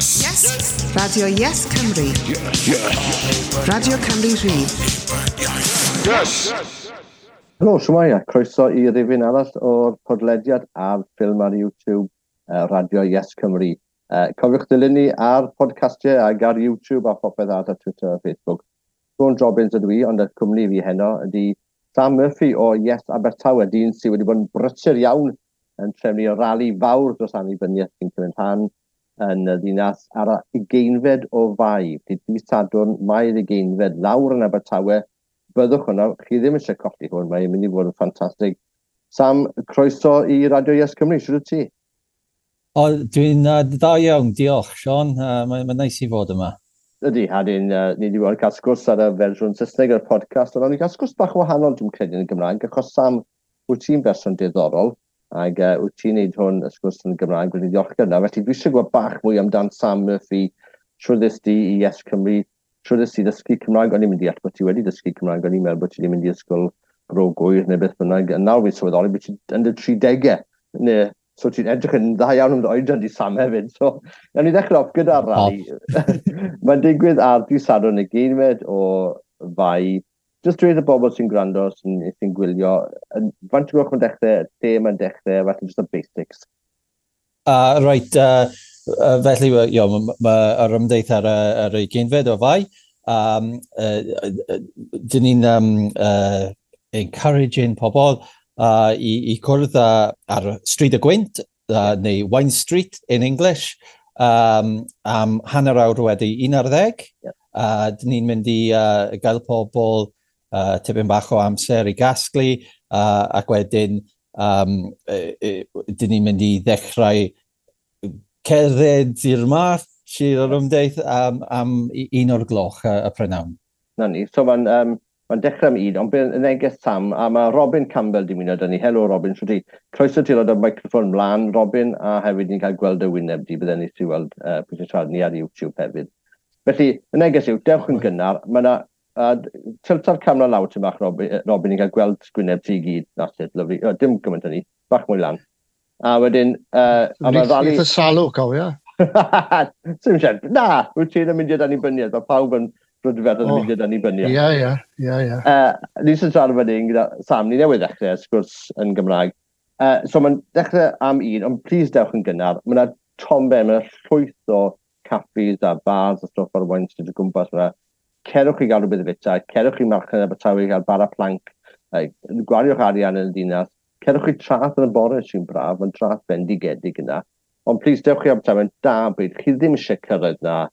Yes! Yes! Radio Yes Cymru. Yes! Yes! Radio Cymru Rhydd. Yes! Helo, shwmae, a croeso i rifyn arall o'r podlediad a'r ffilm ar YouTube, Radio Yes Cymru. Cofiwch dilyn ni ar podcastiau ag ar YouTube a phopeth arall ar Twitter a Facebook. Siôn Jobbins ydw i, ond y cwmni fi heno ydy Sam Murphy o Yes Abertawe, dyn sydd wedi bod yn brysur iawn yn trefnu rali fawr dros annibyniaeth sy'n cymryd rhan yn y ddinas ar y 20fed o Fai. Felly dydd Sadwrn, Mai'r 20fed, lawr yn Abertawe. Byddwch yno, chi ddim eisiau colli hwn, mae'n mynd i fod yn ffantastig. Sam, croeso i Radio Yes Cymru, shwt wyt ti? O, dwi'n dda iawn, diolch, Siôn. Mae'n ma neis i fod yma. Ydy, a ni'n ni wedi bod yn cael sgwrs ar y fersiwn Saesneg o'r podcast, ond o'n i'n cael sgwrs bach wahanol, dwi'n credu, yn y Gymraeg, achos Sam, wyt ti'n berson diddorol, ac wyt ti'n neud hwn, y sgwrs yn y Gymraeg, wedi diolchgar yna. Felly dwi eisiau gwybod bach mwy amdan Sam Murphy, shwd ddest di i Yes Cymru, shwd ddest ti ddysgu Cymraeg, o'n i'n mynd i all bod ti wedi dysgu Cymraeg, o'n i'n meddwl bod ti wedi mynd i ysgol Bro Gŵyr neu beth bynnag, a nawr fi'n sylweddoli bod ti yn dy 30au, neu so ti'n edrych yn dda iawn am dy oedran di, Sam, hefyd. So, nawn ni ddechrau off gyda'r rali. Mae'n digwydd ar dydd Sadwrn y 20fed o Fai. Just dweud y bobl sy'n gwrando, sy'n gwylio, faint o gloch mae'n dechrau, lle mae'n dechrau, falle just y basics. Right, felly, yo, ma yr ymdeith ar y 20fed o Fai. Dyn ni'n encouraging pobl i cwrdd ar Stryd y Gwynt, neu Wine Street in English, am 11:30. Dyn ni'n mynd i gael pobl tipyn bach o amser i gasglu, ac wedyn dyn ni'n mynd i ddechrau cerdded i'r march i'r ymdeith am 1 o'r gloch y prynhawn. Na ni, so mae'n ma dechrau am 1, ond bydd y neges Sam, a mae Robin Campbell di ymuno 'da ni. Helo Robin, shwt ti? Croeso ti roi y microffon mlaen, Robin, a hefyd ni'n cael gweld y wyneb di, bydden ni ti weld pwy sy'n siarad ni ar YouTube hefyd. Felly, y neges yw, dewch yn gynnar, mae yna, tilta'r camera lawr ti'n bach, Robin, Robin, ni'n cael gweld gwyneb ti i gyd. That's it, lovely. O, dim gymaint hynny, bach mwy lan. A wedyn, a mae rali. Eitha salw, cofio. Sim siarad. Na, wyt ti'n mynd i'r annibyniaeth, mae pawb yn brydferth yn mynd i'r annibyniaeth. Ie. Ni sy'n siarad fan hyn gyda Sam, ni newydd ddechrau sgwrs yn Gymraeg. So mae'n dechrau am 1, ond please dewch yn gynnar. Mae yna tomben, mae yna llwyth o caffis a bars a stwff ar y Wine Street o gwmpas. Mae cerwch i gael rhywbeth i fita, cerwch i marchnad Abertawe i gael bara planc, gwariwch arian yn y ddinas, cerwch i traeth yn y bore sy'n braf, mae'n traeth bendigedig yna. Ond please dewch i Abertawe yn da bryd, chi ddim eisiau cyrraedd na,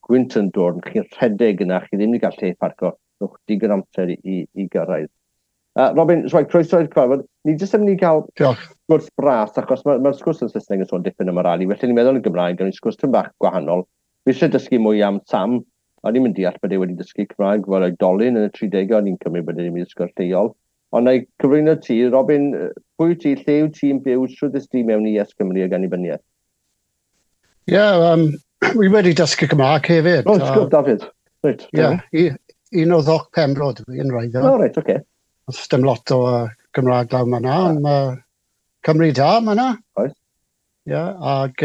gwynt yn dod, chi'n rhedeg yna, chi ddim wedi cael lle parco, rhowch digon amser i gyrraedd. Robin, so, croeso i'r cyfarfod. Ni jyst yn mynd i gael Diolch. sgwrs bras, achos mae'r ma sgwrs yn Saesneg yn sôn dipyn am y rali, felly ni'n meddwl yn Gymraeg, gawn ni sgwrs tipyn bach gwahanol. Fi eisiau dysgu mwy am Sam, o'n i'n mynd deall bod e wedi dysgu Cymraeg fel oedolyn yn y 30au, o'n i'n cymryd bod e wedi dysgu'r lleol. Ond na i cyflwyno ti, Robin, pwy wyt ti, lle wyt ti'n byw, shwt ddest ti mewn i Yes Cymru ag annibyniaeth? Ie, yeah, wi wedi dysgu Cymraeg hefyd. O, oh, Dafydd. Reit. Ie, un o Ddoc Penfro dwi yn wreiddiol. O, reit, oce. Okay. Dim lot o Gymraeg lawr yna, ond mae Cymru da yna. Oes. Ie, yeah, ac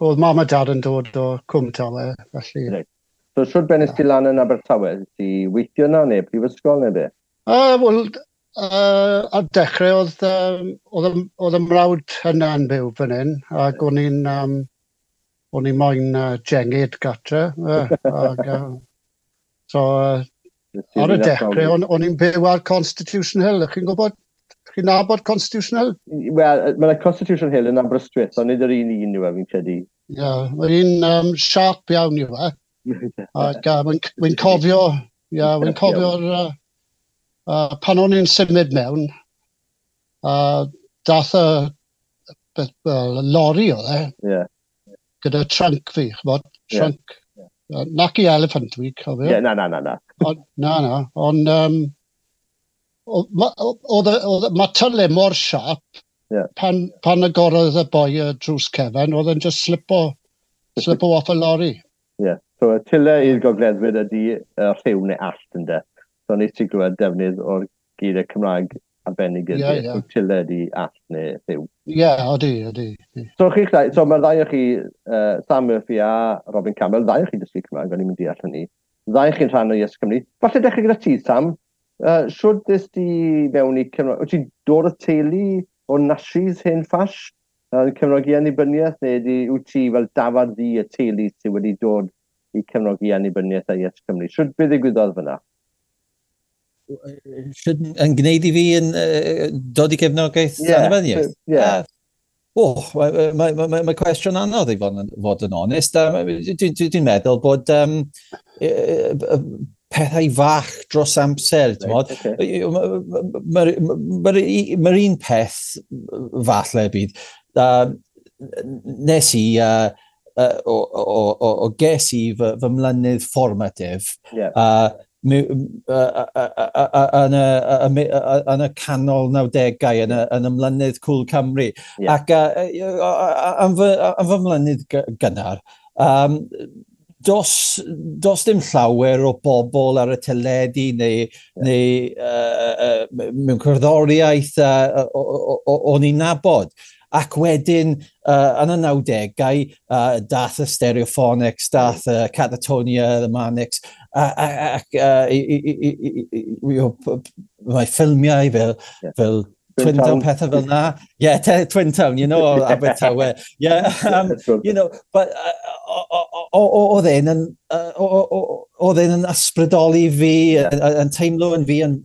oedd mam a dad yn dod o Cwm Tawe, felly. Reit. So, shwt benest ti lan yn Abertawe? Ti weithio yna neu prifysgol neu be? Wel, ar dechrau oedd y mrawd yna yn byw fan hyn, ac o'n i'n moyn jengid gatre. Ac, so, ar y dechrau, o'n i'n byw ar Constitution Hill. Chi'n gwybod, chi'n nabod Constitution Hill? Wel, mae'n Constitution Hill yn Aberystwyth, ond nid yr un un yw e, fi'n credu. Ie, yeah, mae'n un sharp iawn yw e. Ac wy'n cofio, ie, yeah, wy'n cofio'r, pan o'n i'n symud mewn, dath y, well, lori oedd e, gyda trunk fi, ch'mod, trunk. Yeah. Nac i elephant fi, cofio. Ie, yeah, na, na, na, na. On, na, na, ond oedd ma tyle mor sharp, pan agorodd y boi y drws cefen, oedd e'n just slipo off y lori. Ie, yeah. So y tyle i'r gogleddwyr ydy rhyw neu allt, ynde. So nes ti glywed defnydd o'r geiriau Cymraeg. arbennig ydy, yeah, yeah. Tiled i all neu rhyw. Ie, yeah, odi, odi. So, chi'ch ddau, so mae'r ddau o chi, Sam Murphy a Robin Campbell, ddau o chi dysgu Cymraeg, o'n i'n mynd deall hynny. Ddau chi'n rhan o Yes Cymru. Falle dechrau gyda ti, Sam. Siwr dys di mewn i Cymraeg? Wyt ti'n dod o teulu o Nashis hen ffash? Cefnogi annibyniaeth, neu di, wyt ti fel dafad ddu y teulu sydd wedi dod i cefnogi annibyniaeth a Yes Cymru? Siwr beth ddigwyddodd fyna? Siwr yn gwneud i fi yn dod i gefnogaeth annibyniaeth? Yeah. Mae cwestiwn anodd i fod yn onest. Dwi'n meddwl bod pethau fach dros amser, ti'n modd. Mae'r un peth falle bydd. Nes i, o ges i fy mlynydd formative, yn y canol 90au, yn y mlynydd Cŵl Cymru. Ac am fy mlynydd gynnar, dos dim llawer o bobl ar y teledu neu mewn cerddoriaeth o'n i'n nabod. Ac wedyn, yn y 90au, dath y Stereophonics, dath Catatonia, The Manics, ac mae ffilmiau fel Twin Town, pethau fel na. Yeah, Twin Town, you know, Abertawe. Yeah, you know, but oedd e'n ysbrydoli fi, yn teimlo yn fi, yn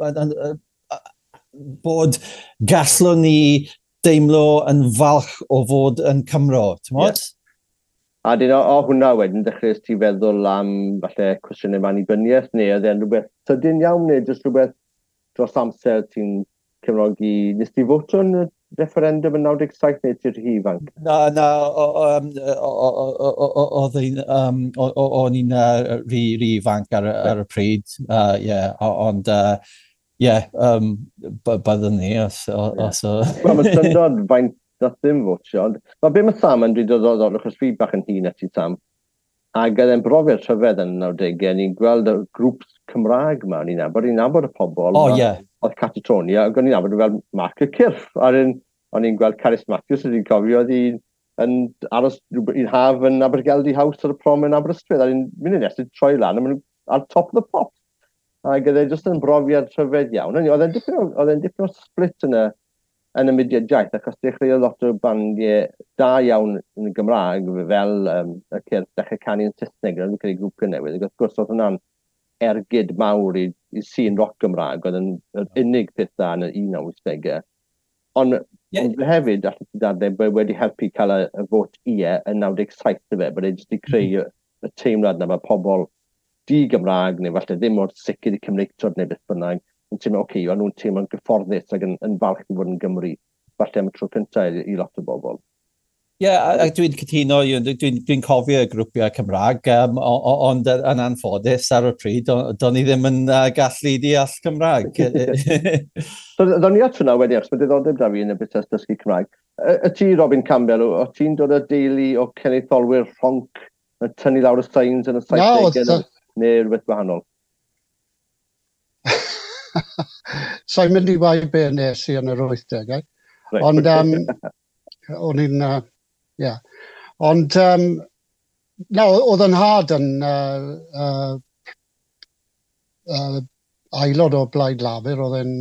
bod gallwn ni deimlo yn falch o fod yn Cymro, ti'n modd? Yeah. A dyn o hwnna wedyn, dechreuais ti feddwl am falle cwestiynau annibyniaeth, neu oedd e'n rhywbeth sydyn iawn, neu jyst rhywbeth dros amser ti'n cefnogi? Nes ti voto yn y referendum yn 97 neu ti'n rhy ifanc? Na, o'n i'n rhy ifanc ar y pryd, ond... Ie, byddwn ni os... Wel, mae syndod faint nath ddim fotio, ond mae be mae Sam yn dweud o achos fi bach yn hŷn na ti, Sam, ac oedd e'n brofiad rhyfedd yn y 90au, ni'n gweld y grŵps Cymraeg yma, o'n i'n nabod y pobol. O, ie. Oedd Catatonia, ac o'n i'n nabod fel Mark y Cyrff, a o'n i'n gweld Carys Matthews, o'n i'n cofio, oedd hi'n yn aros un haf yn Abergeldy House ar y prom yn Aberystwyth, a o'n i'n mynd i nes i troi lan, a maen nhw ar Top of the Pops. Ac oedd e jyst yn brofiad rhyfedd iawn. Oedd e'n dipyn o split yn y mudiad iaith, achos dechreuodd lot o bandiau da iawn yn y Gymraeg, fel y Cyrff, dechrau canu yn Saesneg, oedd yn creu grwpiau newydd. Ac wrth gwrs oedd hwnna'n ergyd mawr i sîn roc Gymraeg, oedd yn yr unig peth da yn y 1980au. Ond hefyd, allet ti dadlau, bod wedi helpu cael y fot ie yn 97 fe, bod e jyst wedi creu y teimlad na mae pobl di-Gymraeg, neu falle ddim mor sicr i Cymreictod neu beth bynnag, yn teimlo, oce, o'n nhw'n teimlo'n gyfforddus ac yn falch i fod yn Gymru, falle am y tro cyntaf i lot o bobl. Ie, yeah, a dwi'n cytuno, dwi'n cofio y grwpiau Cymraeg, ond yn anffodus ar y pryd, do'n i ddim yn gallu deall Cymraeg. So, ddo'n ni at hwnna wedyn, achos mae diddordeb da fi yn y busnes dysgu Cymraeg. Y ti, Robin Campbell, o ti'n dod o deulu o cenedlaetholwyr rhonc yn tynnu lawr y signs yn y 70au? Neu rhywbeth gwahanol? Sa'n mynd i wau be nes i yn yr 80au. Right. Ond o'n i'n... Yeah. Ond, na, oedd yn nhad yn aelod o Blaid Lafur, oedd yn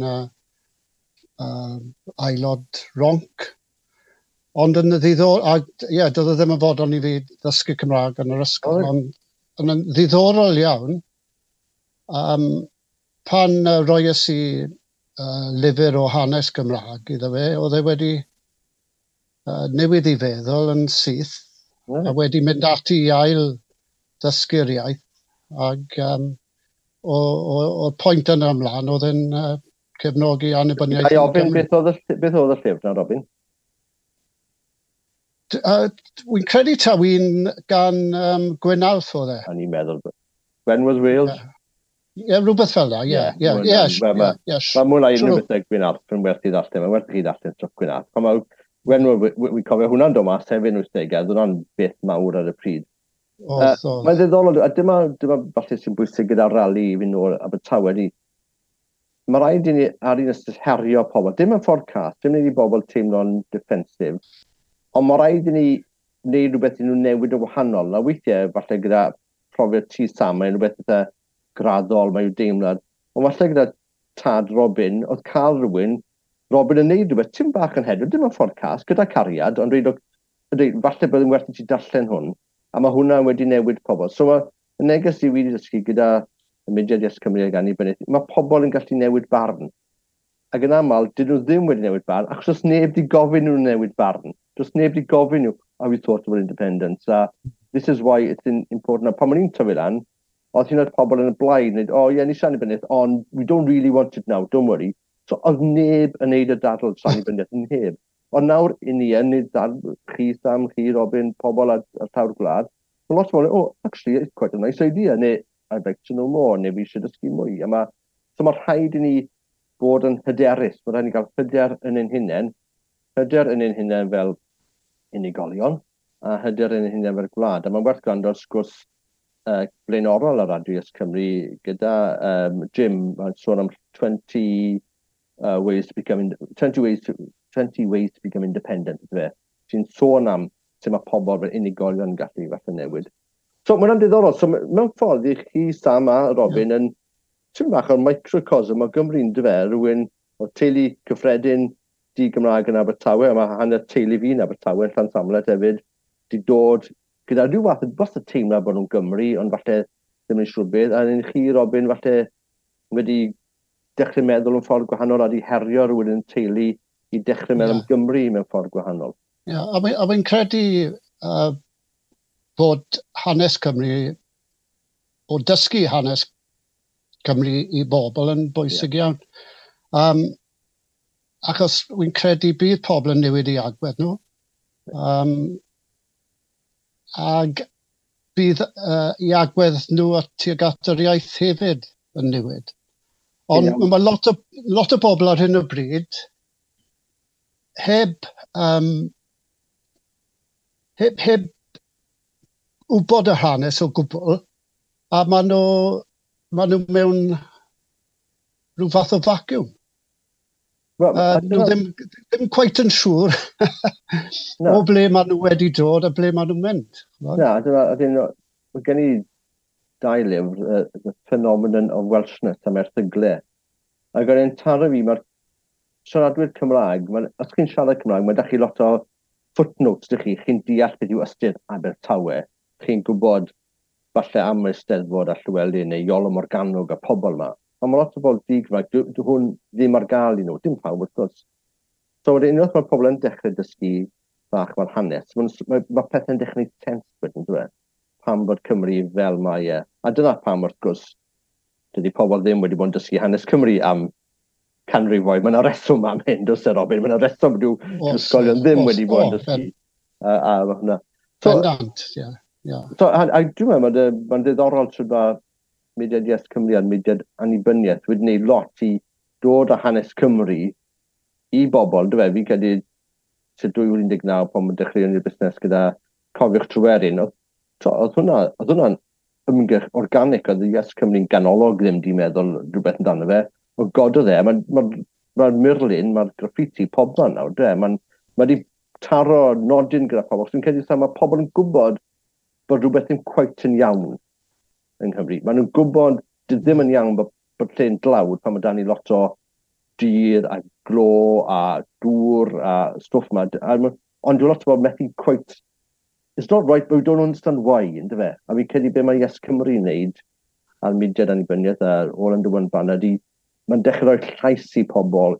aelod ronc. Ond yn ddiddorol, ie, doedd e ddim yn fodlon i fi ddysgu Cymraeg yn yr ysgol, ond yn ddiddorol iawn, pan roies i lyfr o hanes Gymraeg iddo fe, oedd e wedi newid i feddwl yn syth, a wedi mynd ati i ail ddysgu'r iaith, ac o'r pwynt yna ymlaen, oedd e'n cefnogi annibyniaeth. Ga i ofyn, beth oedd y llyfr na, Robin? Wy'n credu taw un gan Gwyn Alf oedd e. O'n i'n meddwl, When Was Wales? Ie, rhywbeth fel 'na, ie. Mae mwy na unrhyw beth Gwyn Alf yn werth i ddarllen, mae'n werth i chi ddarllen stwff Gwyn Alf. Pan mae When wi'n cofio hwnna'n dod mas hefyd yn 80au, oedd hwnna'n beth mawr ar y pryd. Mae'n ddiddorol, a dyma falle sy'n bwysig gyda'r rali i fynd nôl Abertawe, Mae rhaid i ni ar un ystyr herio pobl. Dim yn ffordd cas, dim yn i bobl teimlo'n defensive, ond mae rhaid i ni wneud rhywbeth i nhw newid yn wahanol. Na weithiau, falle gyda profiad ti, Sam, mae'n rhywbeth eitha graddol, mae i'w deimlad. Ond falle gyda tad Robin, oedd cael rhywun, Robin yn neud rhywbeth, tim bach yn heddiw, dim yn ffordd cas, gyda cariad, ond dweud, falle bydd yn werth i ti darllen hwn, a mae hwnna wedi newid pobl. So mae y neges i wedi dysgu gyda y mudiad Yes Cymru ag annibyniaeth, mae pobl yn gallu newid barn. Ac yn aml, dyn nhw ddim wedi newid barn, achos does neb wedi gofyn nhw newid barn. Does neb wedi gofyn nhw, "Have you thought about independence?" A this is why it's important. A pan o'n i'n tyfu lan, oedd hyn oed pobl yn y blaid, neu, "Oh yeah, ni eisiau annibyniaeth, ond we don't really want it now, don't worry." So oedd neb yn neud y dadl dros annibyniaeth, neb. Ond nawr, i ni yn neud dadl, chi Sam, chi Robin, pobl ar llawr gwlad, mae lot o bobl, "Oh, actually, it's quite a nice idea," neu "I'd like to know more," neu "Fi eisiau dysgu mwy." A so mae rhaid i ni bod yn hyderus, mae rhaid i ni gael hyder yn ein hunain, hyder yn ein hunain fel unigolion, a hyder yn ein hunain fel gwlad. A mae'n werth gwrando ar sgwrs blaenorol ar Radio Yes Cymru gyda Jim, mae'n sôn am 20 ways to become, 20 ways to become independent, ydw fe. Ti'n sôn am sut mae pobl fel unigolion yn gallu falle newid. So mae hwnna'n diddorol. So mewn ffordd i chi, Sam a Robin, yn tipyn bach o'r microcosm o Gymru, yn dyfe, rhywun o teulu cyffredin di-Gymraeg yn Abertawe, a mae hanner teulu fi yn Abertawe, yn Llansamlet hefyd, di dod gyda rhyw fath o teimlad bod nhw'n Gymru, ond falle ddim yn siŵr beth. A yn chi, Robin, falle wedi dechrau meddwl yn ffordd gwahanol a di herio rhywun yn teulu i dechrau meddwl am Gymru mewn ffordd gwahanol. Ie, yeah, a wy'n credu bod hanes Cymru, o dysgu hanes Cymru i bobl yn bwysig iawn. Achos wy'n credu bydd pobl yn newid i agwedd nhw. Ag bydd i agwedd nhw at tuag at yr iaith hefyd yn newid. Ond mae lot o bobl ar hyn o bryd heb wybod y hanes o gwbl, a maen nhw mewn rhyw fath o vacuum. Well, nhw ddim quite yn siŵr o ble maen nhw wedi dod a ble maen nhw'n mynd. Na, dyna, mae gen i dau lyfr, The Phenomenon of Welshness am erthyglau. Ac o'n i'n taro fi, mae'r siaradwyr Cymraeg, os chi'n siarad Cymraeg, mae da chi lot o footnotes dych chi, chi'n deall beth yw ystyr Abertawe, chi'n gwybod falle am y Eisteddfod a Llywelyn neu Iolo Morgannwg a pobl yma. Ond mae lot o bobl di-Gymraeg, dwi hwn ddim ar gael i nhw, dim pawb wrth gwrs. So wedyn unwaith mae'r pobl yn dechrau dysgu bach mae'r hanes, mae pethau'n dechrau gwneud sens wedyn, dwi? Pam bod Cymru fel mae e. A dyna pam wrth gwrs, dydy pobl ddim wedi bod yn dysgu hanes Cymru am canrifoedd. Mae yna reswm am hyn, does e, Robin? Mae yna reswm dyw ysgolion ddim wedi bod yn dysgu. A hwnna. So, bendant, ie. Yeah. So, a dwi'n meddwl, mae'n ddiddorol trwy mae mudiad Yes Cymru a'r mudiad annibyniaeth wedi gwneud lot i dod â hanes Cymru i bobl, dwi'n fi'n credu tua 2019 pan mae'n dechreuon ni'r busnes gyda Cofiwch Tryweryn, oedd hwnna'n ymgyrch organic, oedd Yes Cymru'n ganolog ddim di meddwl rhywbeth amdano fe. O gododd e, mae'r ma murlun, mae'r graffiti pob man nawr, dwe, mae'n ma di taro nodyn gyda pobl. Dwi'n credu mae pobl yn gwybod bod rhywbeth ddim quite yn iawn yng Nghymru. Maen nhw'n gwybod ddim yn iawn bod lle'n dlawd pan mae dan ni lot o dir a glo a dŵr a stwff yma. Ond dwi'n lot o bobl methu quite. It's not right, but we don't understand why, ynddo fe? A fi'n credu be mae Yes Cymru yn neud a'r mudiad annibyniaeth a'r All Under One Banner di, mae'n dechrau rhoi llais i pobl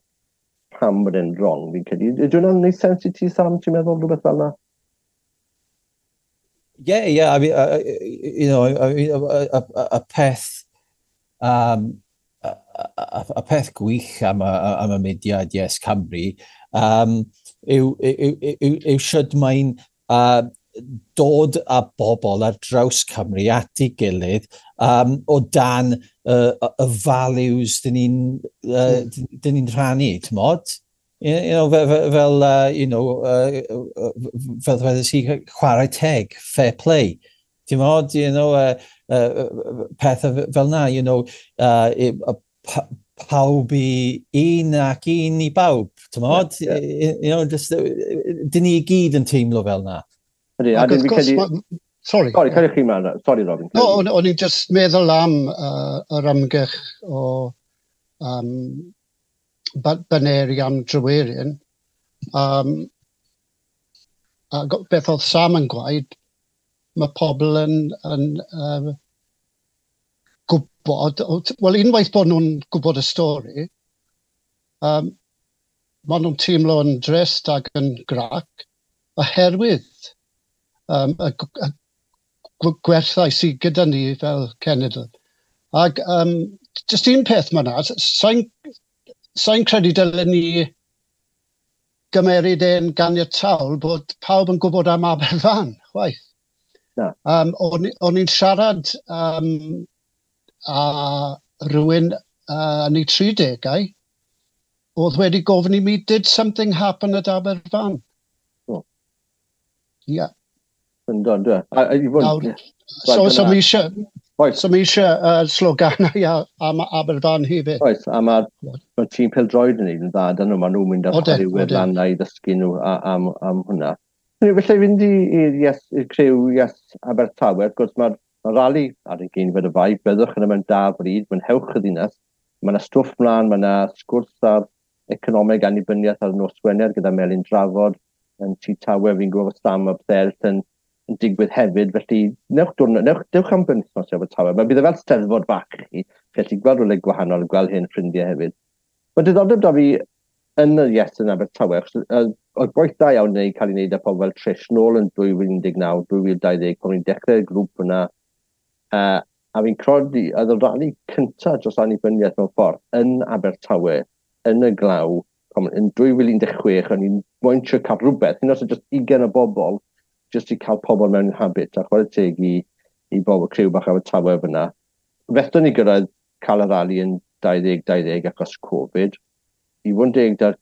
pam bod e'n wrong, fi'n credu. Ydy hwnna'n gwneud sens i ti, Sam, ti'n meddwl rhywbeth fel yna? Yeah. I mean, I mean, y peth gwych am y mudiad Yes Cymru yw sut mae'n dod â bobl ar draws Cymru at ei gilydd o dan y values dyn ni'n rhannu, ti'n? Fel, fel dweud i, chwarae teg, fair play. Ti'n mod, pethau fel na, Pawb i un ac un i bawb, ti'n? Yeah. You know, just, dyn ni i gyd yn teimlo fel na. Ydy, a dwi'n credu. Sorry. Sorry, cyrwch chi mlaen. Sorry, Robin. No, o'n i'n just meddwl am yr ymgyrch o baneri am Dryweryn. A beth oedd Sam yn gwaed, mae pobl yn gwybod, wel, unwaith bod nhw'n gwybod y stori, maen nhw'n teimlo yn drist ac yn grac, oherwydd y gwerthau sydd gyda ni fel cenedl. Ac just un peth mae yna, sa'n sa credu dylen ni gymeryd e'n ganiataol bod pawb yn gwybod am Aberfan, chwaith. Na. O'n i'n siarad a rhywun yn ei 30au, oedd wedi gofyn i mi, "Did something happen at Aberfan?" Oh. Yeah. Ynddo, ynddo. A, i fod. Nawr, so mi eisiau sloganau am Aberfan hefyd. Oes, a mae'r ma tîm pêl-droed yn neud yn dda, dyn nhw, maen nhw'n mynd ar chwaraewyr lan i ddysgu nhw am hwnna. Felly fynd i'r Yes, i'r criw Yes Abertawe, wrth gwrs mae'r ma rali ar 20 o Fai, byddwch yn mewn da bryd, mwynhewch y ddinas, mae yna stwff mlaen, mae yna sgwrs ar economeg annibyniaeth ar nos Wener gyda Melin Drafod yn Tŷ Tawe, fi'n gwybod Sam a pethau eraill yn digwydd hefyd, felly newch diwrnod, newch, dewch am benwythnos i Abertawe. Mae bydd e fel steddfod bach i chi, felly gweld rhywle gwahanol, gweld hen ffrindiau hefyd. Mae diddordeb da fi yn y Yes yn Abertawe, achos oedd gwaith da iawn yn cael ei wneud â pobl fel Trish nôl yn 2019, 2020, pan ni'n dechrau'r grŵp yna, a fi'n credu, oedd y rali cyntaf dros annibyniaeth mewn ffordd yn Abertawe, yn y glaw, yn 2016, o'n i'n moyn trio cael rhywbeth, hyn os oedd just 20 o bobl, just i cael pobl mewn habit, a chwarae teg i bobl criw bach Abertawe fyna. Fethon ni gyrraedd cael y rali yn 2020 achos Covid. I fod yn deg da'r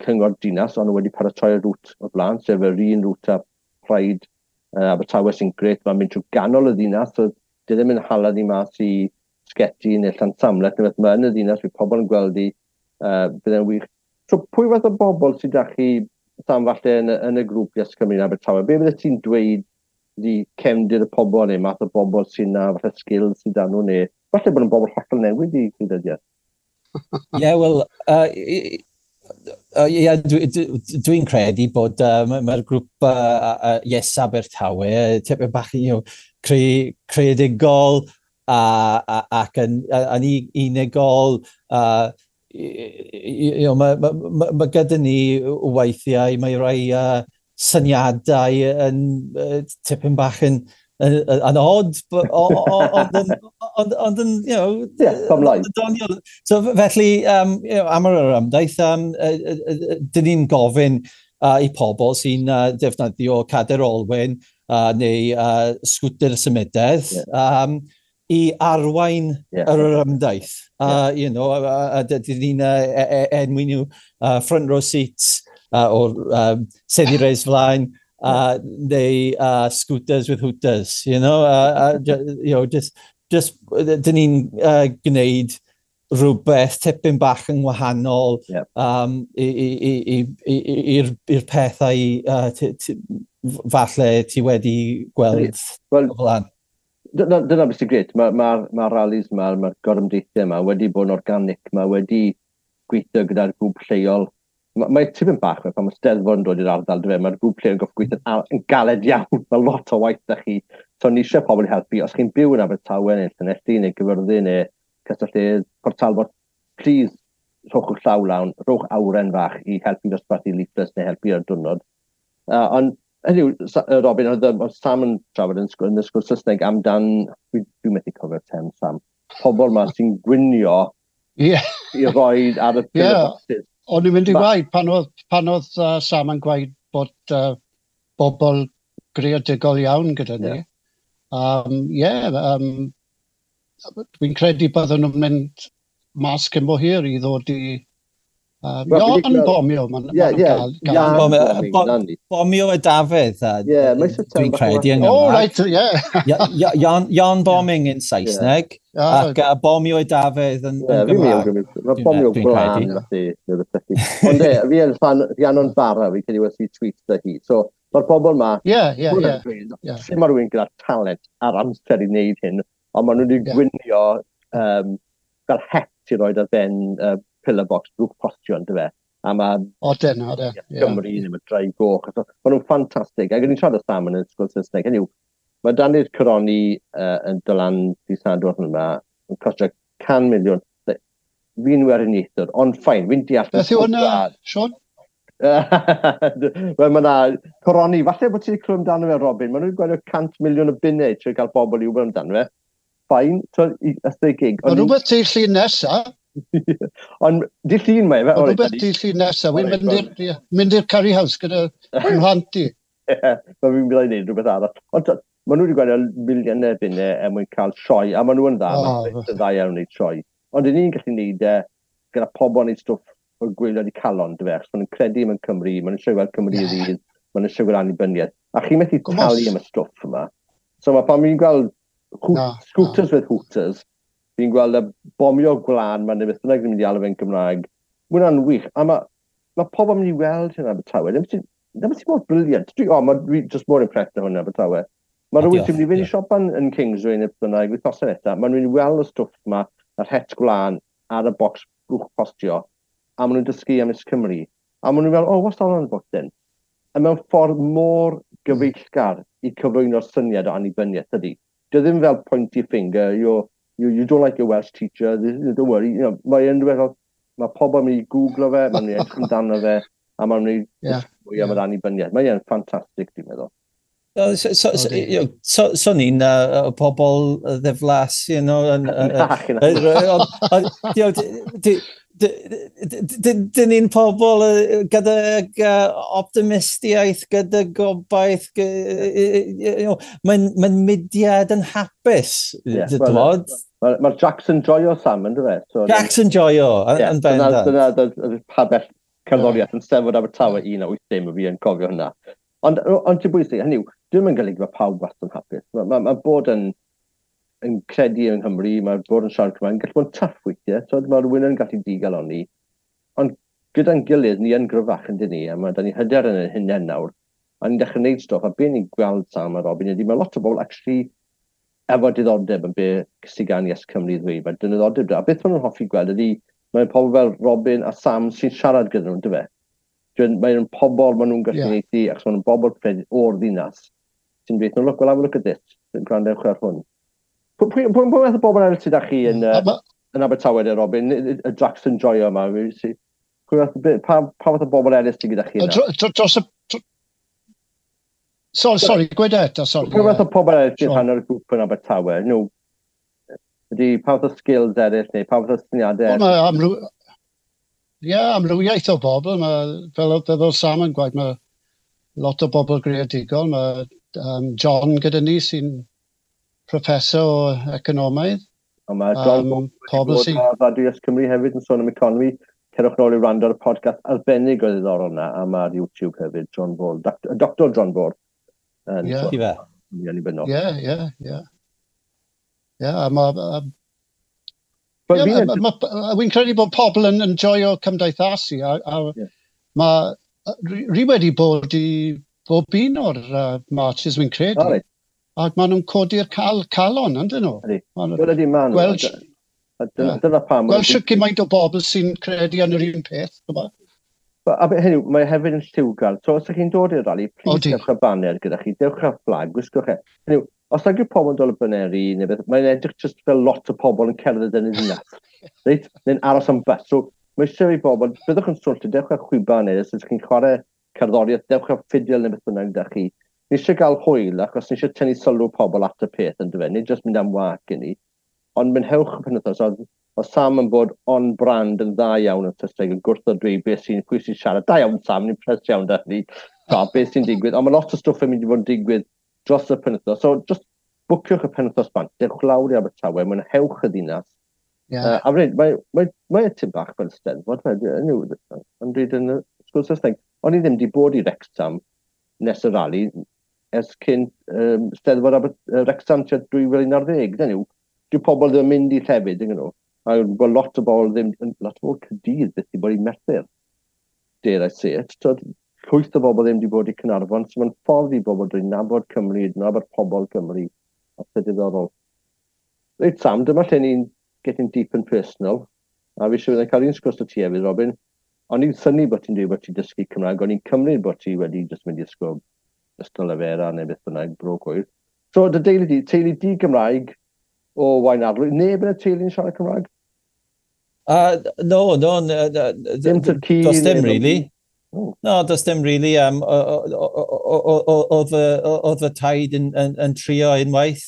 cyngor dinas, ond nhw wedi paratoi'r route o blaen, sef yr un route a Pride Abertawe sy'n grêt, mae'n mynd trwy ganol y ddinas, so di ddim yn hala ni mas i Sgeti neu Llansamlet, neu beth, mae yn y ddinas, fydd pobl yn gweld i, bydd e'n wych. So pwy fath o bobl sydd â chi, Sam, falle yn y grŵp Yes Cymru yn Abertawe? Be fydde ti'n dweud di cefndir y pobl neu math o bobl sy'n na, falle skills sydd â nhw, neu falle bod yn bobl hollol newydd i gwleidyddiaeth? Ie, wel, yeah, dwi'n credu bod mae'r grŵp Yes Abertawe tipyn bach creadigol ac yn unigol. Mae gyda ni weithiau, mae rai syniadau yn tipyn bach yn odd, ond yn, Yeah, come live. Doniol. So felly, am yr ymdaith, dyn ni'n gofyn i pobl sy'n defnyddio cadair olwyn neu sgwter symudedd i arwain yr ymdaith. A dyn ni'n enwi nhw front row seats o'r seddi res flaen, neu scooters with hooters, just dyn ni'n gwneud rhywbeth tipyn bach yn wahanol i'r pethau falle ti wedi gweld Wel, o flaen. Dyna beth sy'n grêt. Mae'r ma rallies yma, mae'r gorymdeithiau yma wedi bod yn organic, mae wedi gweithio gyda'r grŵp lleol. Mae tipyn bach, pan mae Steddfod yn dod i'r ardal, dyfe, mae'r grŵp lleol yn gorfod gweithio'n yn galed iawn. Mae lot o waith da chi. So ni eisiau pobl i helpu. Os chi'n byw yn Abertawe neu Llanelli neu Gyfyrddin neu Castell Port Talbot, please rhowch eich llaw lawn, rhowch awren fach i helpu dosbarthu leaflets neu helpu ar diwrnod. Ond hynny yw, Robin, oedd Sam yn trafod yn y sgwrs Saesneg amdan, dwi methu cofio'r term, Sam, pobl ma sy'n gwynio i roi ar y boxes. O'n i'n mynd i gwaed pan oedd Sam yn gwaed bod bobl greadigol iawn gyda ni. Yeah, dwi'n credu bydden nhw'n mynd mas cyn bo hir i ddod i Yarn bomio, ma'n gael. Bomio y Dafydd, dwi'n credu yn Gymraeg. Oh, right, yeah. Yarn bombing yn Saesneg, ac bomio y Dafydd yn Gymraeg. Mae bomio gwlân, felly. Ond e, fi yn fan Rhiannon Barra, fi'n credu wedi tweet da hi. So, mae'r bobl ma, sut mae rhywun gyda talent a'r amser i wneud hyn, ond maen nhw wedi gwynio fel het i roed ar ben pillar box drwch postio, yn dyfe. A mae Odyn, Gymru, neu mae Drai Goch. So, maen nhw'n ffantastig. Ac o'n i'n siarad â Sam yn y ysgol Saesneg. Hynny yw, mae Dani'r Coroni yn dylan di Sadwrn yma yn costio 100 miliwn. Fi'n weriniaethwr, ond fine, fi'n deall. Beth yw hwnna, Sean? Wel, mae yna coroni. Falle bod ti wedi clywed amdano fe, Robin. Maen nhw'n gwario 100 miliwn o bunnau trwy gael bobl i wybod amdano fe. Fine, so, ystod gig. Mae rhywbeth ti llun nesa. Ond di llun mae fe. Mae rhywbeth di llun nesa. Wy'n mynd i'r curry house gyda mhlant i. Ie, mae fi'n mynd i wneud rhywbeth arall. Ond maen nhw wedi gwario miliynau bunnau er mwyn cael sioe, a maen nhw yn dda, maen nhw'n dda iawn wneud sioe. Ond ni'n gallu wneud e gyda pobl yn neud stwff o'r gwaelod i calon, dy fe, achos maen nhw'n credu mewn Cymru, maen nhw'n eisiau gweld Cymru yeah. Rydd, maen nhw'n eisiau gweld annibyniaeth. A chi'n methu talu am y stwff yma. So mae pan fi'n gweld scooters with hooters, fi'n gweld y bomio gwlân, mae'n beth bynnag yn mynd i alw fe'n Gymraeg. Mae hwnna'n wych. A mae pobl yn mynd i weld hynna Abertawe. Ddim sy'n mor brilliant. Dwi just mor impressed â hwnna Abertawe. Mae rhywun sy'n mynd i fynd i siopa'n yn Kingsway neu bynnag, wythnosau nesaf, maen nhw'n mynd i weld y stwff yma, yr het gwlân ar y bocs blwch postio, a maen nhw'n dysgu am Is Cymru. A maen nhw'n fel, oh, what's that on about then? A mewn ffordd mor gyfeillgar i cyflwyno'r syniad o annibyniaeth, ydy. Dio ddim fel pointy finger, you don't like your Welsh teacher, don't worry. You know, mae'n fel, mae pobl yn mynd i googlo fe, mae'n mynd i edrych amdano fe, a mae'n mynd i dysgu mwy am yr annibyniaeth. Mae'n ffantastig, dwi'n meddwl. So ni'n pobl ddiflas, you know. Dyn ni'n pobl gyda optimistiaeth, gyda gobaith. Mae'n mudiad yn hapus, dwi'n Mae'r Jackson Joio, Sam, yn dweud? Jackson Joio, yn bendant. Dyna pabell cerddoriaeth yn Steddfod Abertawe 1980, fi yn cofio hynna. Ond ti'n bwysig, hynny yw, dwi'n yn golygu bod pawb wastad yn hapus. Mae bod yn credu yng Nghymru, mae bod yn siarad Cymraeg, yn gallu bod yn tough weithiau, so mae rhywun yn gallu digalonni. Ond gyda'n gilydd, ni yn gryfach yn dyn ni, a mae da ni hyder yn ein hunain nawr, a ni'n dechrau gwneud stwff, a be ni'n gweld Sam a Robin ydy, mae lot o bobl actually efo diddordeb yn be sydd gan Yes Cymru ddweud, mae diddordeb da. A beth maen nhw'n hoffi gweld ydy, mae'n pobl fel Robin a Sam sy'n siarad gyda nhw, dyfe? Mae'n pobl maen nhw'n gallu yeah. Achos maen nhw'n bobl o'r ddinas sy'n dweud, no, look, well, have a look at this, yn gwrandewch ar hwn. Pwy fath o bobl eraill sydd â chi yn Abertawe, de, Robin, y Jackson Joio yma? Pa fath o bobl eraill sydd gyda chi yna? Dros y... Sorry, gweud eto, sorry. Pwy fath o pobl eraill sy'n rhan o'r grŵp yn Abertawe? No, ydy, pa fath o skills eraill neu pa fath o syniadau eraill? Ie, amrywiaeth o bobl. Mae, fel Sam yn gwaith, mae lot o bobl greadigol. Mae John gyda ni sy'n professor o economaidd. A mae John pobl sy'n... Radio Yes Cymru hefyd yn sôn am economi. Cerwch nôl i wrando ar y podcast arbennig o ddiddorol yna, a mae'r YouTube hefyd, John Ball, Dr John Ball. Ie. Ie. Ie, a mae... Wy'n credu bod pobl yn enjoyo cymdeithasu, a mae ri wedi bod i bob un o'r marches, wy'n credu. Ac maen nhw'n codi'r calon, yndyn nhw? Ydy, maen nhw. Dyna pam. Gweld sut gymaint o bobl sy'n credu yn yr un peth. A hynny, mae hefyd yn lliwgar. So, os ydych chi'n dod i'r rali, please dewch â banner gyda chi, dewch â flag, gwisgwch e. Hynny, os nag yw pobl yn dod o baneri, neu beth, mae'n edrych just fel lot o pobl yn cerdded yn y ddinas. Reit? Neu'n aros am bus. So, mae eisiau i bobl, byddwch yn swllt, dewch â chwiban neu os ydych chi'n chwarae cerddoriaeth, dewch â ffidil neu beth bynnag gyda chi. Ni eisiau gael hwyl, achos ni eisiau tynnu sylw pobl at y peth, yn dyfe, nid just mynd am wag i ni. Ond mynhewch y penwythnos, oedd Sam yn bod on brand yn dda iawn yn Saesneg, yn gwrthod dweud beth sy'n, pwy sy'n siarad. Da iawn Sam, ni'n pres iawn da ni. Beth sy'n digwydd. Ond mae lot o stwff yn mynd i fod yn digwydd dros y penwythnos. So, just bwciwch y penwythnos bant, dewch lawr i Abertawe, mwynhewch y ddinas. Yeah. A fyd, mae tyn bach fel Steddfod, yn dweud yn y sgwrs Saesneg. O'n i ddim wedi bod i Wrexham nes y rali ers cyn Steddfod Wrexham tua 2011. Dyn nhw, dyw pobl ddim yn mynd i llefydd, dyn nhw. A bod lot o bobl ddim, lot o bobl Caerdydd byth wedi bod i Merthyr. Dare I say it. So, llwyth o bobl ddim wedi bod i Caernarfon, so mae'n ffordd i bobl drwy nabod Cymru, nabod pobl Cymru, a peth diddorol. Reit Sam, dyma lle ni'n getting deep and personal, a fi siŵr cael un sgwrs o ti hefyd, Robin. O'n i'n synnu bod ti'n dweud bod ti'n dysgu Cymraeg, o'n i'n cymryd bod ti wedi just mynd i ysgol Ysgol Lefera neu beth bynnag, bro cwyr. So, dy deulu di, teulu di Gymraeg o Waunarlwy, neb yn y teulu'n siarad Cymraeg? No, dim Turkey. Does dim really. No, does dim really. Oedd fy taid yn trio unwaith.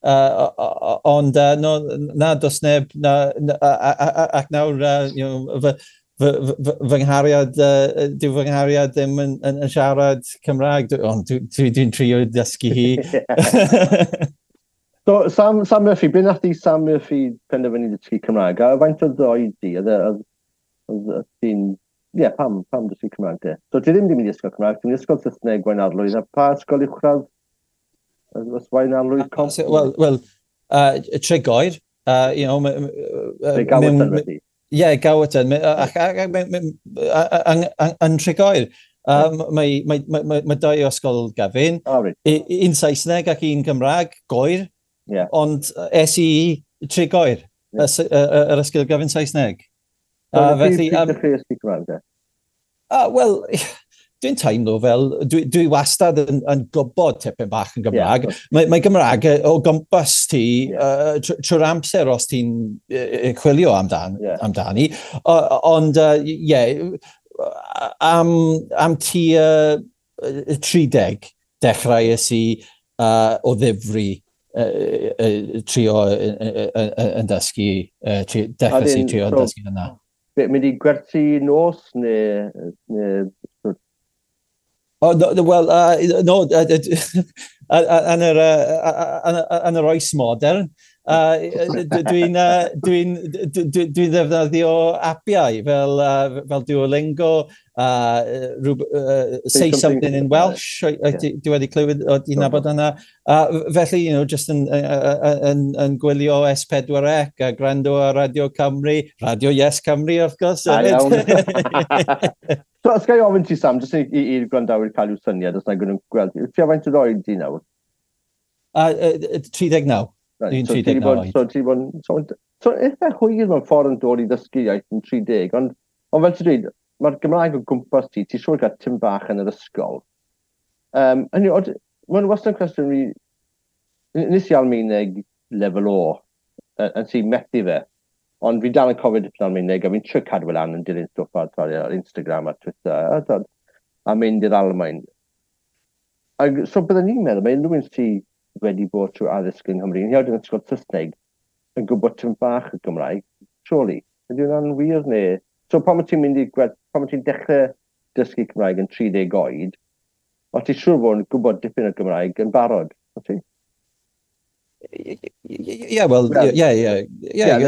Ond no, na, does neb, na, ac nawr, you know, fy nghariad, dyw fy nghariad ddim yn siarad Cymraeg, ond dwi'n trio dysgu hi. So, Sam Murphy, be nath i Sam Murphy penderfynu dysgu Cymraeg? A faint oedd oed di? Oedd ti'n... Ie, pam dysgu Cymraeg de? So, ti ddim wedi mynd i ysgol Cymraeg, ti'n mynd i ysgol Saesneg Waunarlwydd, a pa ysgol uwchradd? Waunarlwydd Comp? Wel, Tregoer. You know, Gowerton wedi? Ie, Gowerton. Yn Tregoer. Mae dau ysgol gyfun. Un Saesneg ac un Cymraeg, Goer. Yeah. Ond es i Tregoer, yr ysgol gyfun Saesneg. Felly, pryd dechreuais ti Cymraeg de? Wel, dwi'n teimlo fel, dwi wastad yn gwybod tipyn bach yn Gymraeg. Yeah. Mae Gymraeg o gwmpas ti trwy'r amser os ti'n chwilio amdani. Ond, am tua 30 dechreuais i o ddifri trio yn dysgu, dechreuais i trio yn dysgu yna. Mynd i gwerthu nos neu Oh, no, well, no, yn yr oes modern, dwi'n ddefnyddio apiau fel Duolingo, Say Something in Welsh, dwi wedi clywed, ti'n nabod yna. Felly, you know, just yn gwylio S4C a gwrando ar Radio Cymru, Radio Yes Cymru, wrth gwrs. Iawn. So, os ga i ofyn ti, Sam, jyst i'r gwrandawyr cael i'w syniad, os na gwneud gweld. Ti a faint o oed di nawr? 39. Dwi'n 39 oed. So, ti bod, so, eitha hwyr mewn ffordd yn dod i ddysgu iaith yn 30, ond fel ti'n dweud, mae'r Gymraeg o gwmpas ti, ti'n siŵr gael tim bach yn yr ysgol. Mae'n wastad yn cwestiwn fi, nes i Almaeneg lefel O, yn sy'n methu fe, ond fi dal yn cofio dipyn Almaeneg, a fi'n trio cadw lan yn dilyn stwff ar Instagram a Twitter, a mynd i'r Almaen. Ac, so byddwn ni'n meddwl, mae unrhyw un sydd wedi bod trwy addysg yng Nghymru, yn hyd yn ysgol Saesneg, yn gwybod tipyn bach y Gymraeg, surely. Ydy hwnna'n wir neu? So pan ti'n mynd i gweld, pan ti'n dechrau dysgu Cymraeg yn 30 oed, o ti'n siŵr bod yn gwybod dipyn o Gymraeg yn barod, o ti? Yeah, well, yeah. Yeah,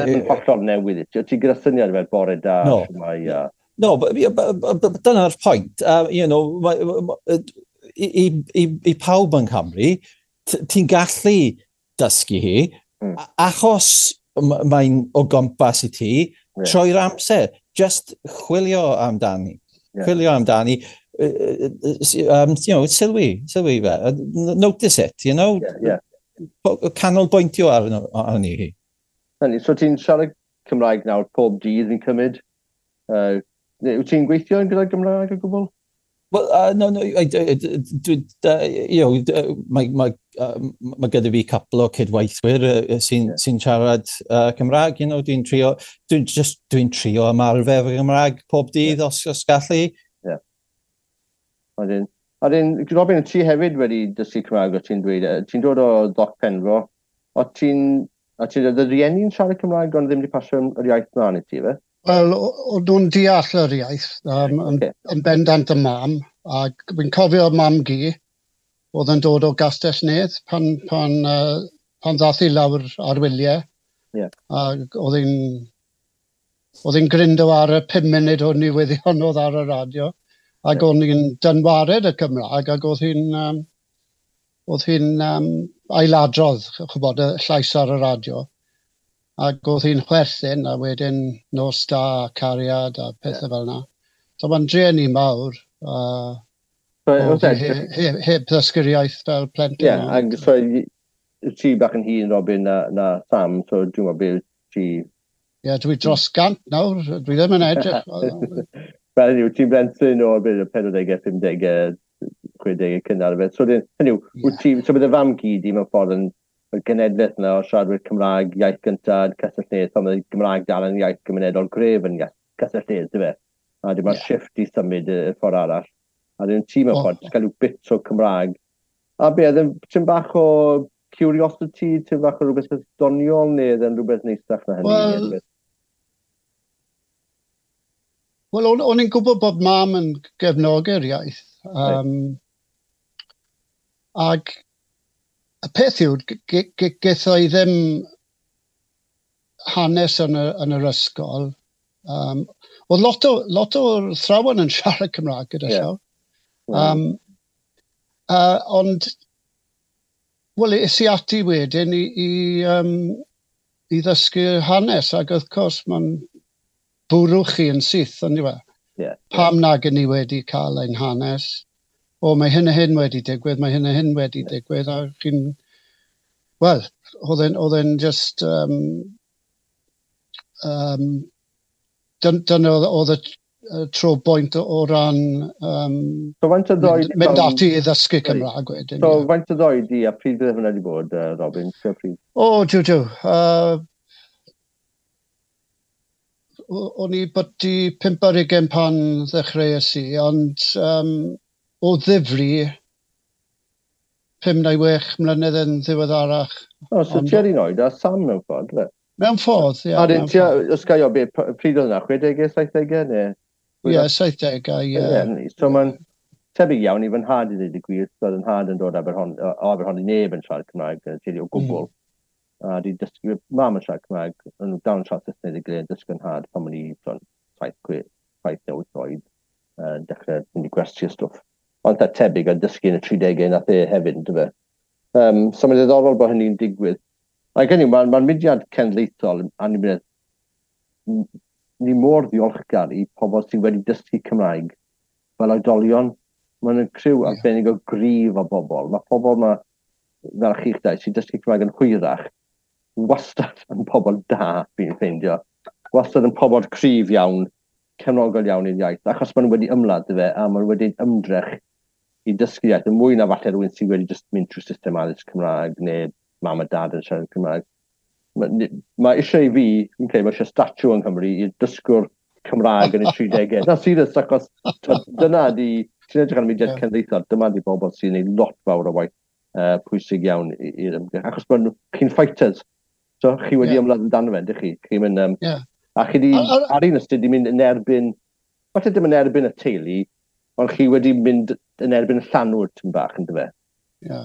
yn hollol newydd i ti. O ti gyda syniad fel bore da, shwmae, a... No, but dyna'r pwynt. You know, i pawb yng Nghymru, ti'n gallu dysgu hi, achos mae'n o gwmpas i ti, trwy'r amser. Just chwilio amdani. Chwilio amdani. You know, sylwi fe. Notice it, you know? Yeah. Canolbwyntio arni hi. So ti'n siarad Cymraeg nawr pob dydd fi'n cymryd? Wyt ti'n gweithio yn gyda Gymraeg o gwbl? Well, no, you know, mae gyda fi couple o cydweithwyr sy'n siarad Cymraeg, you know, dwi'n trio ymarfer fy Gymraeg pob dydd os gallu. Yeah. A dyn, Robin, ti hefyd wedi dysgu Cymraeg, o ti'n dweud, ti'n dod o Ddoc Penfro, o ti'n, oedd y rieni'n siarad Cymraeg ond ddim wedi pasio yr iaith mlaen i ti, fe? Wel, o'n nhw'n deall yr iaith, yn bendant y mam, a fi'n cofio mam gi, oedd yn dod o Gastell Nedd pan ddath i lawr ar wyliau, Yeah. A oedd hi'n gryndo ar y 5 munud o newyddion oedd ar y radio. Ac o'n i'n dynwared y Cymraeg, ac oedd hi'n ailadrodd, ch'bod, y llais ar y radio. Ac oedd hi'n chwerthin, a wedyn "Nos da, cariad" a pethau fel yna. So mae'n drueni mawr. So, oedd hi heb ddysgu'r iaith fel plentyn. Ie, ac so ti bach yn hŷn, Robin, na Sam, so dwi'n meddwl beth ti. Ie, dwi dros 100 nawr, dwi ddim yn edrych. Fel hynny yw, ti'n blentyn o'r beth, y 40au, 50au, 60au cynnar. Fe. So, hynny yw, wyt ti, so bydd y fam gyd i mewn ffordd yn y genedlaeth yna o siaradwyr Cymraeg, iaith gyntaf, Castell Nedd, pan oedd Gymraeg dal yn iaith gymunedol gref yn iaith Castell Nedd, dy fe? A dim mae'r shift i symud y ffordd arall. A dyn ti mewn ffordd, jyst cael rhyw bits o Cymraeg. A be, oedd yn tipyn bach o curiosity, tipyn bach o rhywbeth doniol, neu oedd yn rhywbeth neisach na hynny? Wel, o'n i'n gwybod bod mam yn gefnogi'r iaith. Ac y peth yw, getho i ddim hanes yn yr ysgol. Oedd lot o'r athrawon yn siarad Cymraeg gyda llaw. Ond, wel, es i ati wedyn i ddysgu hanes, ac wrth gwrs mae'n bwrw chi yn syth, ond yw e? Pam nag yn ni wedi cael ein hanes? O, mae hyn a hyn wedi digwydd, mae hyn a hyn wedi digwydd, a chi'n... Wel, oedd e'n just... Dyna oedd y tro bwynt o ran So faint o ddoed mynd ati i ddysgu Cymraeg wedyn. So faint o ddoed i a pryd bydd hwnna wedi bod, Robin? Tua pryd? O, jiw, jiw. O'n i byti 25 pan ddechreuais i, ond o ddifri 5 neu 6 mlynedd yn ddiweddarach. O, so ti ar un oed a Sam mewn ffordd, fe? Mewn ffordd, ie. A dyn, mewn ti, ffordd. Os ga i o, be, pryd oedd hwnna, 60au, 70au, neu? Ie, 70au, ie. Ie, so mae'n tebyg iawn i fy nhad i ddweud y gwir, so oedd yn nhad yn dod o Aberhonddu, neb yn siarad Cymraeg, teulu o gwbl. A di dysgu, mam yn siarad Cymraeg, yn dal yn siarad Saesneg i gilydd, dysgu yn nhad pan o'n i 7, 6, 7 neu 8 oed, dechrau mynd i gwersi a stwff. Ond eitha tebyg a dysgu yn y 30au nath e hefyd, ynddo fe. So mae'n ddiddorol bod hynny'n digwydd. Ac hynny, ma mudiad cenedlaethol, annibyniaeth, ni mor ddiolchgar i pobl sydd wedi dysgu Cymraeg fel oedolion. Mae'n yn criw arbennig o gryf o bobl. Mae pobl ma, fel chi'ch dau, sy'n dysgu Cymraeg yn hwyrach, wastad yn pobl da, fi'n ffeindio. Wastad yn pobl cryf iawn, cefnogol iawn i'r iaith, achos maen nhw wedi ymladd fe, a maen nhw wedi ymdrech i dysgu iaith, yn mwy na falle rhywun sydd wedi just mynd trwy system addysg Cymraeg, neu mam a dad yn siarad Cymraeg. Mae eisiau i fi, fi'n credu, mae eisiau statue yng Nghymru i dysgwr Cymraeg yn y 30au. Na, serious, achos t'wod, dyna di, ti'n edrych ar y mudiad cenedlaethol, dyma di bobl sy'n gwneud lot fawr o waith pwysig iawn i'r ymgyrch. Achos bod chi'n fighters. So, chi wedi ymladd amdano fe, ydych chi? Chi'n mynd, a chi di, ar un ystyr, di mynd yn erbyn, falle dim yn erbyn y teulu, ond chi wedi mynd yn erbyn y llanw'r tyn bach, yn dyfe? Ie.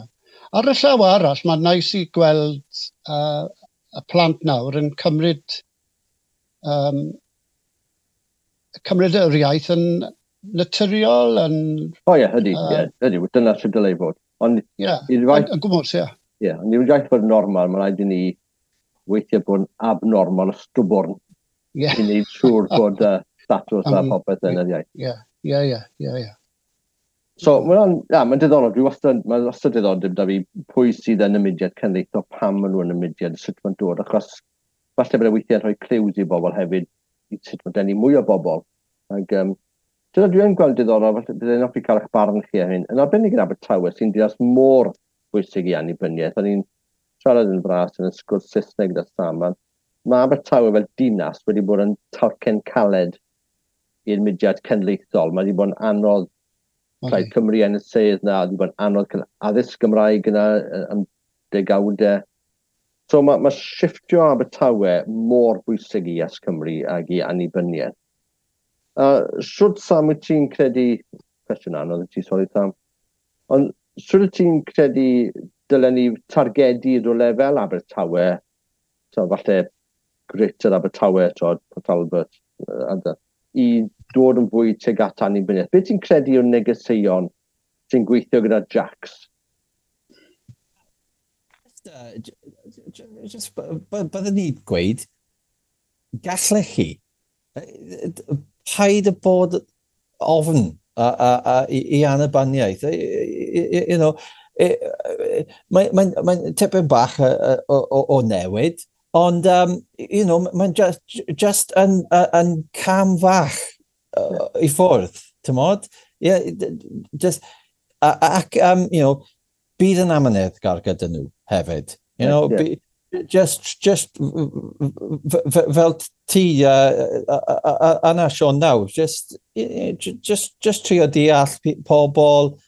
Ar y llaw arall, mae'n neis i gweld y plant nawr yn cymryd yr iaith yn naturiol, yn O ie, ydy, ie, ydy, dyna sydd dylai fod. Ond i'r iaith, yn gwmws, ie. Ie, ond i'r iaith fod yn normal, mae'n rhaid i ni weithio bod yn abnormal o stwbwrn i wneud siŵr bod statws a popeth yn yr iaith. Ie. So, mae'n ja, mae'n diddorol, dwi wastad, mae'n wastad diddordeb da fi pwy sydd yn y mudiad cenedlaethol, pam maen nhw yn y mudiad, sut mae'n dod, achos falle bod e weithiau'n rhoi clues i bobl hefyd, i sut mae'n denu mwy o bobl. Ac, dyna dwi yn gweld diddorol, falle byddai'n hoffi cael eich barn chi ar hyn. Yn arbennig yn Abertawe, sy'n dinas mor bwysig i annibyniaeth. O'n i'n siarad yn fras yn y sgwrs Saesneg gyda Sam, a mae Abertawe fel dinas wedi bod yn talcen caled i'r mudiad cenedlaethol. Mae wedi bod yn anodd Plaid Cymru yn y sedd na, wedi bod yn anodd cael addysg Gymraeg yna am degawdau. So mae shifftio Abertawe mor bwysig i Yes Cymru ag i annibyniaeth. Shwt, Sam, wyt ti'n credu, cwestiwn anodd i ti, sori Sam, ond shwt wyt ti'n credu dylen ni targedu rhywle fel Abertawe, so falle Greater Abertawe, twod, Port Talbot, i dod yn fwy tuag at annibyniaeth. Beth ti'n credu yw'r negeseuon sy'n gweithio gyda Jacks? Just, byddwn ni gweud, gallech chi, paid y bod ofn i annibyniaeth. You know, mae'n tipyn bach o newid, ond you know, mae'n just yn cam fach i ffwrdd, ti'n? Yeah, just, ac, you know, bydd yn amyneddgar gyda nhw hefyd. You know, yeah. Just fel ti yna, Sean, nawr, just trio deall pobl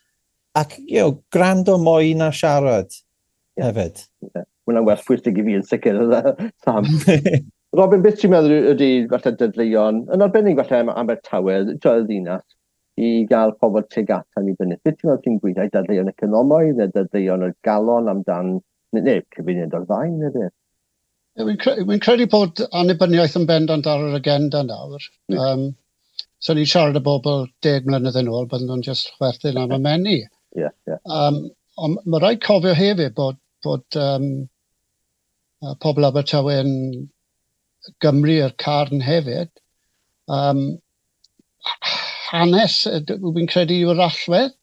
ac, you know, gwrando mwy na siarad hefyd. Yeah. Hwnna'n werth pwysig i fi yn sicr, Sam. Robin, beth ti'n meddwl ydy falle dadleuon, yn arbennig falle am Abertawe, y ddinas, i gael pobl tuag at annibyniaeth? Beth ti'n meddwl ti'n gweithio? Dadleuon economaidd neu dadleuon o'r galon amdan, neu cyfuniad o'r ddau, neu beth? Wy'n credu bod annibyniaeth yn bendant ar yr agenda nawr. So ni'n siarad â bobl 10 mlynedd yn ôl, bydden nhw'n just chwerthin am y menu. Yeah. Ond mae rhaid cofio hefyd bod pobl Abertawe yn Gymru i'r carn hefyd. Hanes, wy'n credu, yw'r allwedd.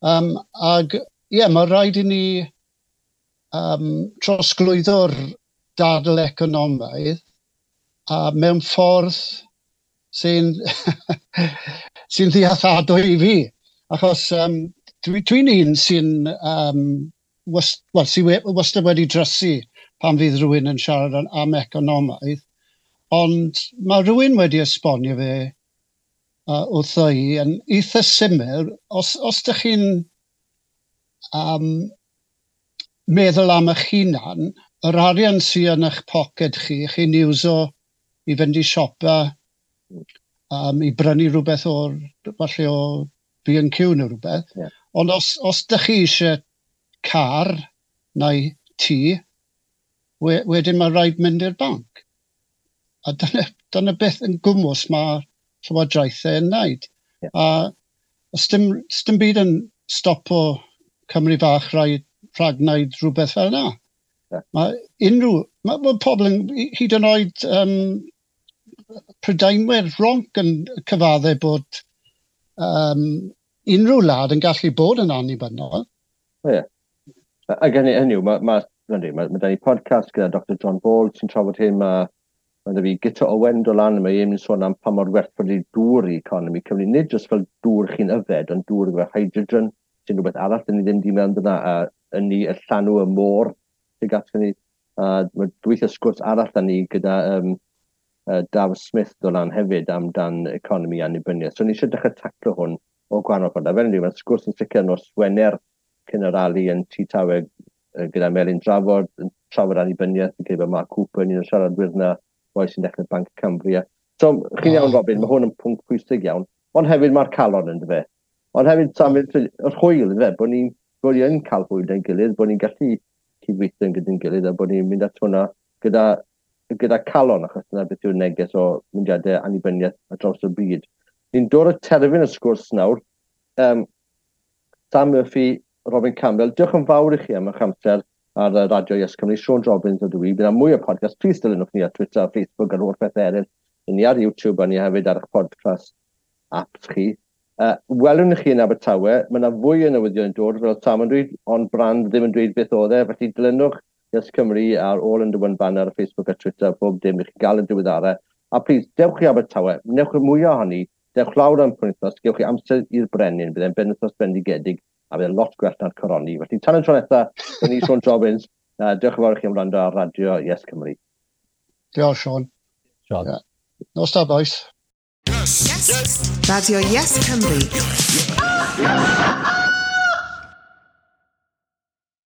Ag, ie, yeah, mae rhaid i ni trosglwyddo'r dadl economaidd a mewn ffordd sy'n ddealladwy i fi. Achos dwi'n un sy'n well, sy wastad wedi drysu pan fydd rhywun yn siarad am economaidd, ond mae rhywun wedi esbonio fe wrtho i yn eitha syml. Os ydych chi'n meddwl am eich hunan, yr arian sydd yn eich poced chi, chi'n iwso i fynd i siopa, i brynu rhywbeth o'r, falle o B&Q neu rhywbeth. Ond os ydych chi eisiau car neu tŷ, wedyn mae rhaid mynd i'r banc. A dyna beth yn gwmws mae llywodraethau yn wneud. A os dim byd yn stopo Cymru fach rhag wneud rhywbeth fel yna. Mae unrhyw, mae pobl yn, hyd yn oed Prydeinwyr ronc yn cyfadde bod unrhyw wlad yn gallu bod yn annibynnol. O ie. Ac hynny yw, mae da ni podcast gyda Dr John Ball sy'n trafod hyn, mae da fi Guto Owen dod lan, mae e'n sôn am pa mor werthfawr ydi dŵr i economi Cymru, nid jyst fel dŵr chi'n yfed, ond dŵr efo hydrogen, sy'n rhywbeth arall, dyn ni ddim di mewn dyna, a ynni y llanw y môr sy'n gatgo ni. A mae gweithio sgwrs arall da ni gyda Daf Smith dod lan hefyd amdan economi annibyniaeth. So ni eisiau dechrau taclo hwn o gwahanol ffordd. A fel ydy, mae'r sgwrs yn sicr nos Wener cyn y rali yn Tŷ Tawe gyda Melin Drafod, yn trafod annibyniaeth, yn credu bod Mark Cooper yn un o'r siaradwyr yna, boi sy'n dechrau Banc Cambria. So, chi'n iawn, Robin, mae hwn yn pwnc pwysig iawn. Ond hefyd mae'r calon yn dyfe. Ond hefyd, Sam, yr hwyl, yn dyfe, bod ni yn cael hwyl gyda'n gilydd, bod ni'n gallu cydweithio gyda'n gilydd, a bod ni'n mynd at hwnna gyda calon, achos dyna beth yw'r neges o mudiadau annibyniaeth ar draws y byd. Ni'n dod at terfyn y sgwrs nawr. Sam Murphy, Robin Campbell, diolch yn fawr i chi am eich amser ar y Radio Yes Cymru. Sean Robbins ydw i. Bydd yna mwy o podcast. Please dilynwch ni ar Twitter, Facebook a'r holl beth eraill. Ni ar YouTube a ni hefyd ar eich podcast apps chi. Welwn chi yn Abertawe. Mae yna fwy o newyddion yn dod, fel Sam yn dweud, ond brand ddim yn dweud beth oedd e. Felly dilynwch Yes Cymru ar All Under One Banner ar Facebook a Twitter, bob dim i chi gael y diweddarau. A please, dewch i Abertawe, wnewch y mwyaf ohoni, dewch lawr am penwythnos, gewch chi amser i'r brenin, bydd e'n benwythnos bendigedig, a bydd e'n lot gwell na'r coroni. Felly, tan y tro nesaf, dyn ni Sean Robbins, diolch yn fawr i chi am wrando ar Radio Yes Cymru. Diolch, Sean. Sean. Yeah. Nos da, boys. Yes. Yes. Radio Yes Cymru. Yes.